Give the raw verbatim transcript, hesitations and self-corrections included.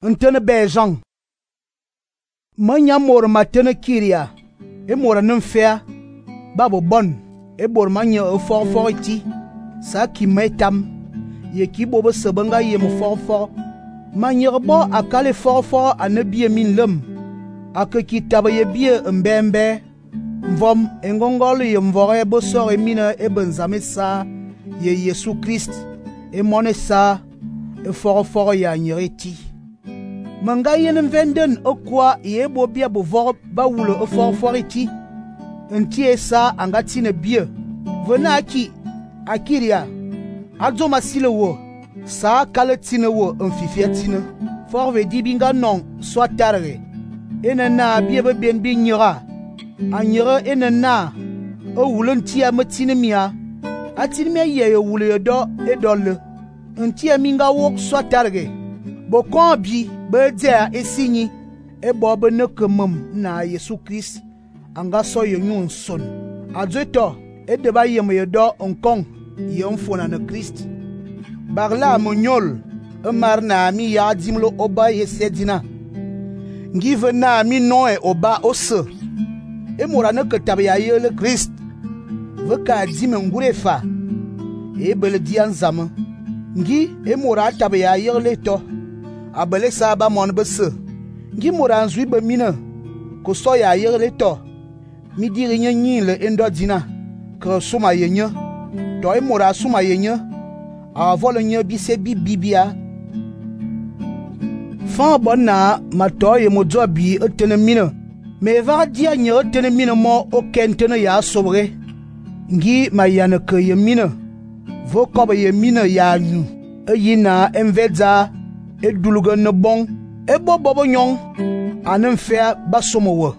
Ntene bejan. Manya mor matene kiria. E mora nfea. Babo bon. E bor manya e for for iti. Sa ki metam. Ye ki bobo sebanga ye mo for for. Manya bo akale for for ane biye min lem. Ake ki tabe ye biye mbembe. Mvom engongole ye mvore bo sore mina e benzame sa. Ye Yesu Christ. E mone sa. E for for ya nyereti. Manga yen venden okwa ye bo bia bo vor ba wulo e for for iti. Ntie sa angati ne bie. Vena aki akiria. Adzo masile wo. Sa kale tine wo mfifia tine. For ve di binga non so tarre. Ene na bie be ben bi nyira. Anyira ene na o wulo ntia matine mia. Atine mia ye yo wulo yo do e dolle. Ntia minga wo so tarre. Bo kon bi be dia esinyi e bo be ne kemum na Yesu Christ anga so yo nyun son. Adzeto e de ba yem yo do onkong ye mfona na Christ. Barla monyol e mar na mi ya dimlo oba ye sedina. Ngive na mi no e oba ose. E mora ne ketabe ya ye le Christ. Veka dime ngurefa. E bele dian zame. Ngi e mora tabe ya ye le to. Abele sa ba mon bese. Ngi mora nzui be mina. Ko so ya ye le to. Mi diri nye nyin le endo dina. Ke suma ye nye. To e mora suma ye nye. A vole nye bi se bi bibia. Fan bon na ma to ye mo do bi etene mina. Me va dia nye etene mina mo o kentene ya sobre. Ngi ma yana ke ye mina. Vo kobe ye mina ya nyu. E yina envedza e duluga ne bon. E bo bobo nyong. Anem fea basomo wo.